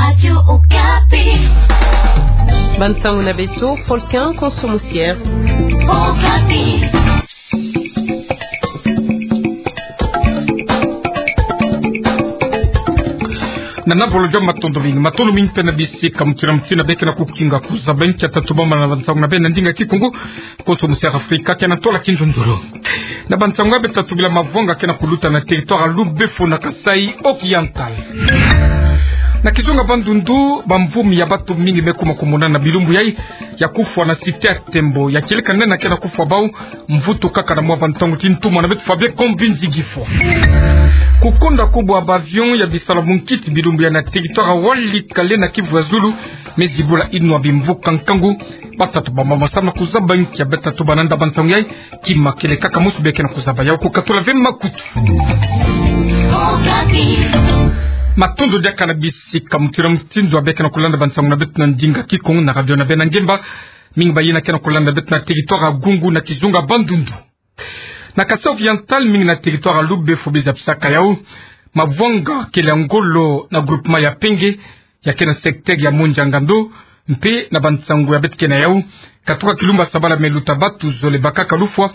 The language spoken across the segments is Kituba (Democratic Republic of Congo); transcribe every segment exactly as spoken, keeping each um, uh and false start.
Radio Okapi. Bansango na beto, Folkin Konso Musier. Okapi. Na nabolo jam, matondo mingi, matondo mingi mpe na bisika mutindu na mutindu beke na kukinga kuzaba nkia tatu bambana na bansango na beno na ndinga Kikongo. Konso Musier Afrika, kena tola kinzonzolo. Na bansango ya beto tatu bila, mavwanga kena kuluta na territoire ya Lubefo na Kasaï Oriental. Na kizunga Bandundu, bamvumi ya bato mingi me kuma kumona na bilumbu yai, ya kufwa na cité ya Tembo, ya kieleka nde na kena kufwa bau, mvutu kaka na mwa bantangu ti ntumwa na beto Fabien Kombinzi Gifo. Kukonda kubwa ba avion ya bisalu munkiti bilumbu yai na territoire ya Walikale na Kivu ya Zulu, me zibula inwa bimvuka nkangu. Batatu bambamba samu na kuzaba nkia beto tatu bananda bantangu yai, kima kele kaka mosi beke na kuzaba yau. Kukatula ve makutu. Matondo diaka na bisika mutindu na mutindu beke na kulanda bansango na beto na ndinga Kikongo na radio na beno na ngemba. Mingi bayina kena kulanda beto na territoire ya Gungu na kizunga Bandundu. Na Kasaï Oriental, mingi na territoire ya Lubefo biza bisaka yau. Mavwanga kele ya ngolo na groupement ya Penge, ya kena secteur ya Mondjanganto, mpe na bansango ya beto kena yau, katuka kilumbu ya sabala me luta batu zole bakaka lufwa,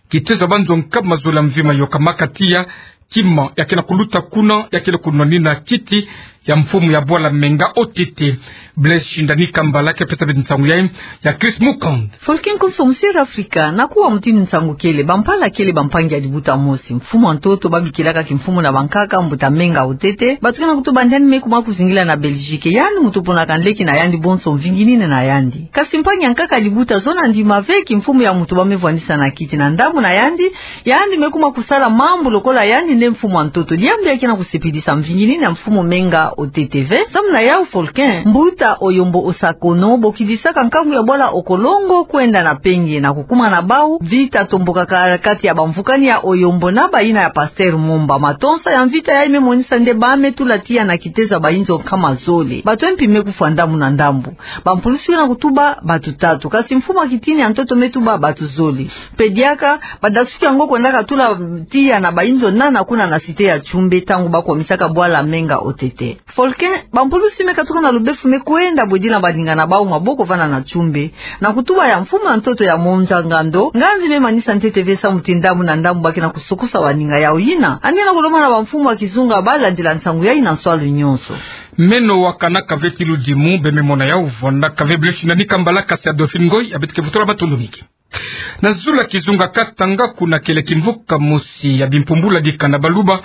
kitezo ya banzo nkama zole ya mvima yokamaka tiya, kima ya kena kuluta kuna, ya kele kunwanina kiti ya mfumu ya bwala Menga O T T. Blaise Shindani Kambala ke pesa beto nsango yai, ya Chris Mukand. Folkin Konso Musier Afrika, na kuwa mutindu nsango kele, bampala kele bampangi ya dibuta mosi, mfumu ya ntoto babikilaka kimfumu na bankaka, mbuta Menga O T T, batukana kutuba nde yandi me kuma kuzingila na Belgique, yandi mutu ponaka nleki na yandi bonso mvingi nini na yandi. Kasi mpangi ya nkaka dibuta zona ndima ve kimfumu ya mutu ba me vwanisa na kiti na ndambu na yandi, yandi me kuma kusala mambu lokola yandi nde mfumu ya ntoto. Diambu ya kena kusepelisa mvingi nini ya mfumu Menga O T T ve. Samu na yau Folkin, mbuta Oyombo Osakono bokidisaka nkangu ya bwala Okolongo kwenda na Penge na kukuma na bau, vita tombokaka kati ya bamvukani ya Oyombo na bayina ya Pasteur Mumba. Matonsa ya mvita yai me monisa nde ba me tula tiya na kitezo ya bayinzo nkama zole. Bato ya mpi me kufwa ndambu na ndambu. Bampulusi na kutuba bato tatu. Kasi mfumu ya kitini ya ntoto me tuba bato zole. Mpe diaka, badasuki yango kwendaka tula tiya na bayinzo nana kuna na cité ya Tchumbe, ntangu ba kwamisaka bwala Menga O T T. Folkin, bampulusi me katuka na Lubefo me kwenda bwedila baninga na bau maboko vana na Tchumbe. Na kutuba ya mfumu ya ntoto ya Mondjanganto, nganzi me manisa ntete ve samu ti ndambu na ndambu ba kena kusukusa baninga yau. Yina yandi na kulomba na bamfumu ya kizunga ba landila nsango yai na nswalu nyonso. Meno wakanaka ve ti ludimu, be me mona yau, vwandaka ve. Blaise Shindani Kambala, kasi ya Dauphine Ngoy ya beto ke vutula matondo mingi. Na zulu ya kizunga Katanga, kuna kele kimvuka mosi ya bimpumbula dikanda baluba,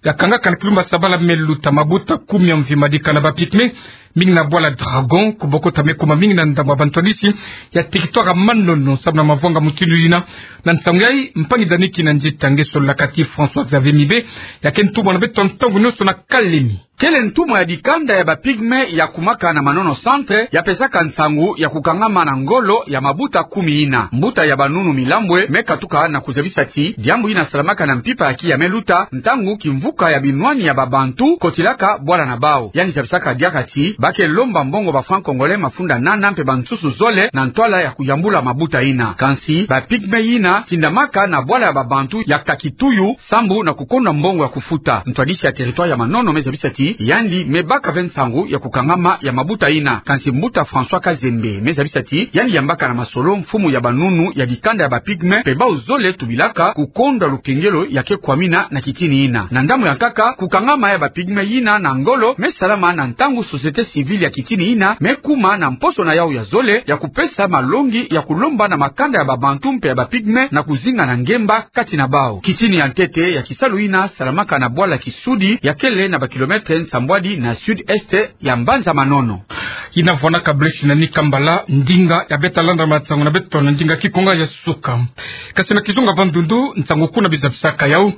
ya kangaka na kilumbu ya sabala me luta, mabuta kumi ya mvima dikanda ba Pygmée, mingi na bwala Dragon, kubokota me kuma mingi na ndambu ya bantwadisi ya territoire ya Manono, samu na mavwanga mutindu yina. Na nsangu yai, mpangi Dany Kinanzita nge sololaka ti François Xavier Mibe, ya ke ntumwa na beto ntangu nyonso na Kalemi. Kele ntumwa ya dikanda ya ba Pygmée ya kumaka na Manono Centre, ya pesaka nsangu ya kukangama na ngolo ya mabuta kumi yina. Mbuta ya Banunu Milambwe me katuka na kuzabisa ti diambu yina salamaka na mpimpa ya kiya me luta, ntangu kimvuka ya binwani ya ba Bantu kotilaka bwala na bau. Yandi zabisaka diaka ti ba ke lomba mbongo ba francs congolais mafunda nana mpe bansusu zole na ntwala ya kuyambula mabuta yina. Kansi ba Pygmée yina tindamaka na bwala ya ba Bantu ya Kakituyu, sambu na kukonda mbongo ya kufuta. Ntwadisi ya territoire ya Manono me zabisa ti yandi me baka ve nsangu ya kukangama ya mabuta yina. Kansi mbuta François Kazembe me zabisa ti yandi yambaka na masolo mfumu ya Banunu ya dikanda ya ba Pygmée, mpe bau zole tubilaka kukonda lukengelo ya ke kwamina na kitini yina. Na ndambu ya nkaka, kukangama ya ba Pygmée yina na ngolo me salama na ntangu société civile ya kitini yina me kuma na mposo na yau ya zole ya kupesa malongi ya kulomba na makanda ya ba Bantu mpe ya ba Pygmée na kuzinga na ngemba kati na bau. Kitini ya ntete ya kisalu yina salamaka na bwala Kisudi, ya kele na ba kilomètre nsambwadi na sud-est ya mbanza Manono. Yina vwanaka Blaise Shindani Kambala, ndinga ya beta landa masangu na beto na ndinga Kikongo ya suka. Kasi na kizunga Bandundu, nsangu kuna biza bisaka yau,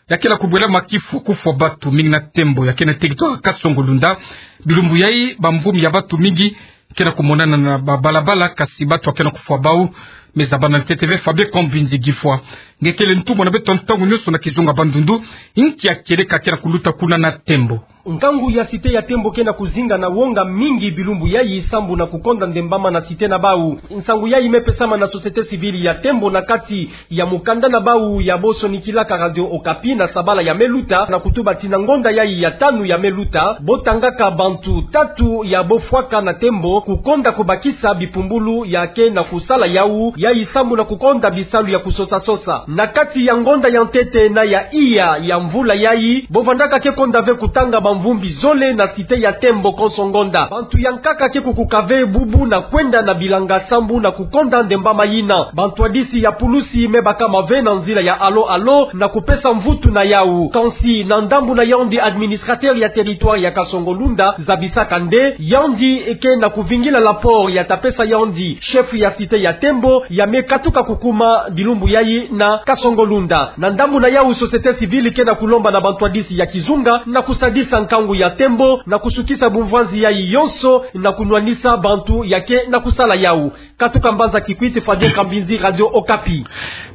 ya kele kubwela makifu kufwa batu mingi na Tembo, ya ke na territoire Kasongo-Lunda. Bilumbu yai, bamvumi ya batu mingi ke na kumonana na ba balabala, kasi batu ya ke na kufwa bau Me zabana ntete ve Fabien Kambinzi Gifwa. Nge kele ntumwa na beto ntangu nyonso na kizunga Bandundu, inki ya kieleka ke na kuluta kuna na Tembo. Nkangu ya cité ya Tembo ke na kuzinga na wonga mingi bilumbu yayi sambu na kukonda ndembama na cité na bau. Nsangu yayi me pesama na société civile ya Tembo na kati ya mukanda na bau ya bo sonikilaka Radio Okapi na sabala ya me luta, na kutuba ti na ngonda yayi ya tanu ya me luta, bo tangaka bantu tatu ya bo fwaka na Tembo kukonda kubakisa bipumbulu ya ke na kusala yau, yayi sambu na kukonda bisalu ya kusosa-sosa. Na kati ya ngonda ya ntete na ya iya ya mvula yayi, bo vandaka ke konda ve kutanga bamvumbi zole na cité ya Tembo konso ngonda. Bantu ya nkaka ke kukuka ve bubu na kwenda na bilanga sambu na kukonda ndembama yina. Bantwadisi ya pulusi me bakama ve na nzila ya alo-alo na kupesa mvutu na yau. Kansi na ndambu na yandi, administrateur ya territoire ya Kasongo-Lunda zabisaka nde yandi ke na kuvingila rapport ya ta pesa yandi chef ya cité ya Tembo ya me katuka kukuma bilumbu yayi na Kasongo-Lunda. Na ndambu na yau, société civile ke na kulomba na bantwadisi ya kizunga na kusadisa nkangu ya Tembo na kusukisa bumvwanzi yayi yonso na kunwanisa bantu ya ke na kusala yau. Katuka mbanza Kikwit, Fabien Kambinzi, Radio Okapi.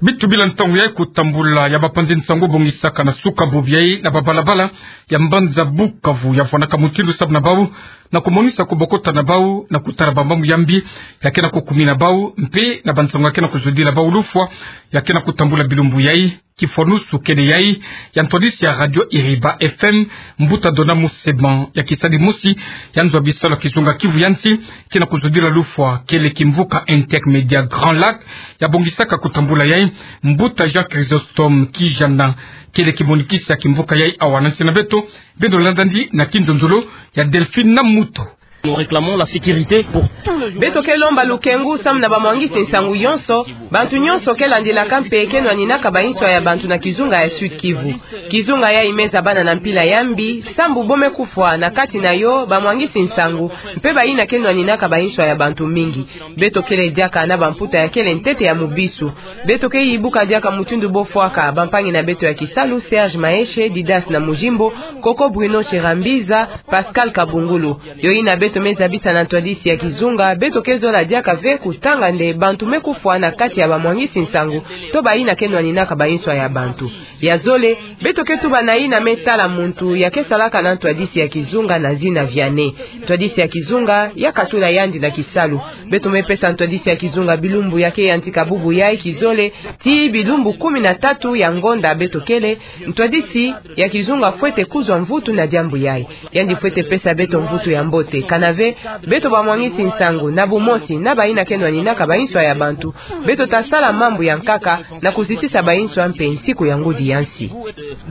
Bitu bila ntangu yayi, kutambula ya bapanzi nsangu bongisaka na suka bubu yayi na babalabala ya mbanza Bukavu ya fwanaka mutindu sambu na bau na kumonisa kubokota na bau na kutala bambambu ya mbi ya ke na kukumina bau, mpe na bansangu ya ke na kuzudila bau lufwa ya ke na kutambula bilumbu yayi. Kifwanusu kele yayi ya ntwadisi ya Radio Iriba F M, mbuta Dona Museban, ya kisadi mosi ya nzo ya bisalu ya kizunga Kivu ya nsi ke na kuzudila lufwa, kele kimvuka Intermédia Grand Lac ya bongisaka kutambula yayi. Mbuta Jean Chrysostome Kijana kele kimonikisi ya kimvuka yayi awa na nsi na beto. Beno landa ndi na kinzonzolo ya Delphine Namuto. Nous réclamons la sécurité pour tous les jours. Beto ke lomba lukengu samu na bamwangisi nsangu yonso, bantu nyonso ke landilaka mpe ke nwaninaka banswa ya bantu na kizunga ya Sud-Kivu. Kizunga yayi me zabana na mpila ya mbi, sambu bo me kufwa na kati na yo bamwangisi nsangu, mpe bayina ke nwaninaka banswa ya bantu mingi. Beto kele diaka na bamputa ya kele ntete ya mubisu. Beto ke yibuka diaka mutindu bo fwaka bampangi na beto ya kisalu, Serge Maeshe, Didas na Mujimbo, Koko Bruno Chirambiza, Pascal Kabungulu. Yo yina beto me zabisa na ntwadisi ya kizunga, beto ke zola diaka ve kutanga nde bantu me kufwa na kati ya bamwangisi nsangu, to bayina ke nwaninaka banswa ya bantu. Ya zole, beto ke tuba na yina me tala muntu ya ke salaka na ntwadisi ya kizunga na zina Vianney. Ntwadisi ya kizunga ya katula yandi na kisalu. Beto me pesa ntwadisi ya kizunga bilumbu ya ke yantika bubu yayi, kizole, tii bilumbu kumi na tatu ya ngonda beto kele, ntwadisi ya kizunga fwete kuzwa mvutu na diambu yayi. Yandi fwete pesa beto mvutu ya mbote. Kana ve, beto bamwangisi nsangu, na bumosi na bayina ke nwaninaka banswa ya bantu, beto ta sala mambu ya nkaka na kuzitisa banswa mpe nsiku ya ngudi ya nsi.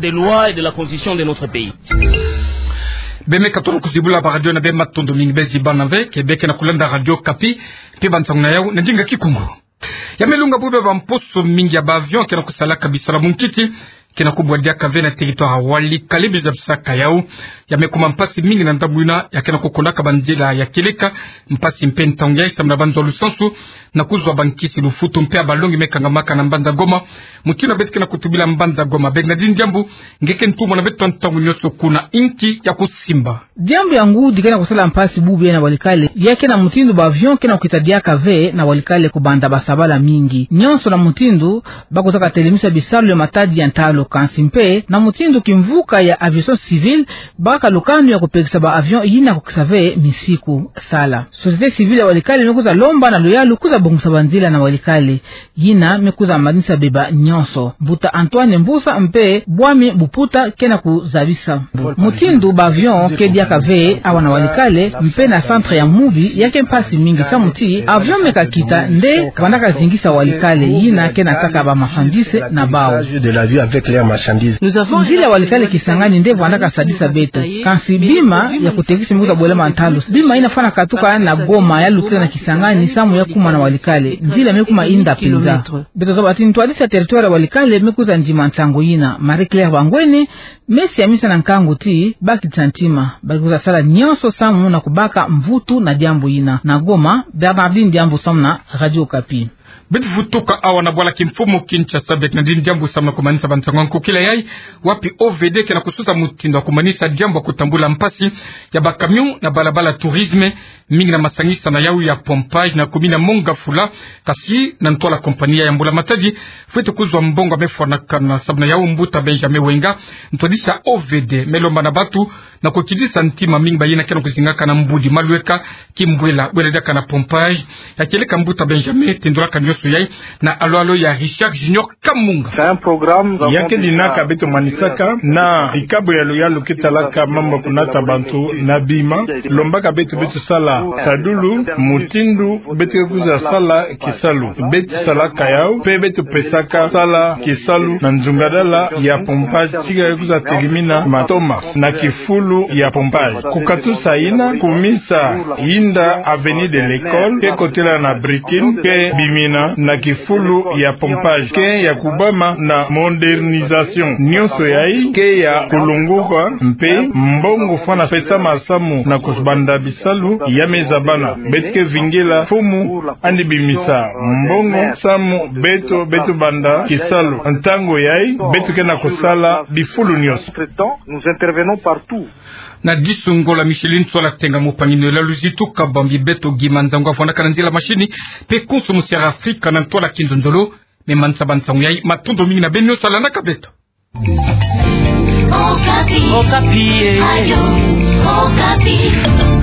Des lois et de la constitution de notre pays. Be me katono kuzibula baradio na be, matondo mingi. Be zibana ve ke be ke na kulanda Radio Okapi, mpe bansangu na yau na ndinga Kikongo. Ya me lunga bwe bamposo mingi ya ba avion ke na kusalaka bisalu ya munkiti ke na kubwa diaka ve na territoire ya Walikale, biza bisaka yau. Ya me kuma mpasi mingi na ndambu yina ya ke na kukondaka banzila ya kieleka, mpasi mpe ntangu yayi samu na banzo ya lusansu na kuzwa bankisi, lufutu mpe ya balongi me kangamaka na mbanza Goma. Mutindu beto ke na kutubila mbanza Goma, benga di diambu nge ke ntumwa na beto ntangu nyonso kuna, inki ya kusimba. Diambu ya ngudi ke na kusala mpasi bubu yayi na Walikale, ya ke na mutindu ba avion ke na kukita diaka ve na Walikale kubanda basabala mingi. Nyonso na mutindu ba kwiza katelemisa bisalu ya matadi ya ntalu, kansi mpe na mutindu kimvuka ya aviation civile baka lukanu ya kupekisa ba avion yina kukisa ve misiku sala. Société civile ya Walikale me kwiza lomba na luyalu kwiza bongisa banzila na Walikale. Yina me kwiza manisa beba nyonso. Mbuta Antoine Mbusa mpe bwami buputa ke na kuzabisa mutindu ba avion ke diaka ve awa na Walikale, mpe na centre ya Mubi ya ke mpasi mingi samu ti avion me kakita nde vandaka zingisa Walikale, yina ke na kaka ba marchandise na bau. Nzila ya Walikale Kisangani nde vandaka sadisa beto. Kansi bima ya kutekisa me kwiza bwela ma ntalu. Bima yina fwana katuka na Goma ya lutila na Kisangani samu ya kuma na Walikale. Nzila me kuma inda mpenza. Beto zaba ti ntwadisi ya territoire ya Walikale me kwiza ndima nsangu yina. Marie Claire Bangwene me siamisa na nkangu ti ba kiti ntima, ba kwiza sala nyonso samu na kubaka mvutu na diambu yina. Na Goma, Bernardine Diambu samu na Radio Okapi. Beto vutuka awa na bwala kimfumu Kinshasa, bek na ndini diambu samu na kumanisa bansangu ya nkokila yai, wapi O V D ke na kususa mutindu ya kumanisa diambu ya kutambula mpasi ya bakamion na balabala Tourisme, mingi na masangisana yau ya pompage na commune ya Mont-Ngafula, kasi na ntwala kompani ya mbula-matadi fwete kuzwa mbongo ya mefwanakana. Samu na yau, mbuta Benjamin Wenga, ntwadisi ya O V D, me lomba na batu na kukidisa ntima mingi bayina ke na kuzingaka na mbudi malweka kimbwela, bwela diaka na pompage. Ya kieleka mbuta Benjamin, tendolaka nionso yai na alolo ya Richard Junior Kamunga. Ya ke dinaka beto manisaka na ikabu ya luyalu ke talaka mambu ya kunata bantu na bima, lombaka beto, beto sala sadulu mutindu beto ke kwiza sala kisalu. Beto salaka yau, mpe beto pesaka sala kisalu na nzungadala ya pompage, tika ke kwiza telimina matoma na kifulu ya pompage. Kukatusa yina, kumisa yinda avenue de l'École, ke kotela na Brikine, ke bimina na kifulu ya pompage, ke ya kubama na modernisation. Nionso yai ke ya kulunguka, mpe mbongo fwana pesama samu na kubanda bisalu ya me zabana. Beto ke vingila mfumu yandi bimisa mbongo samu beto, beto banda kisalu. Ntangu yai, beto ke na kusala bifulu nionso. Nous intervenons partout. Na disungola Micheline Sola Tenga, mupangi-nlo ya luzitu kabambi beto, Guy Manzangu avwandaka na nzila machine, mpe konso musi ya Afrika na ntwala kinzonzolo me manisa bansangu yai. Matondo mingi na beno nionso landaka beto. Okapi. Okapi, eh. Radio Okapi.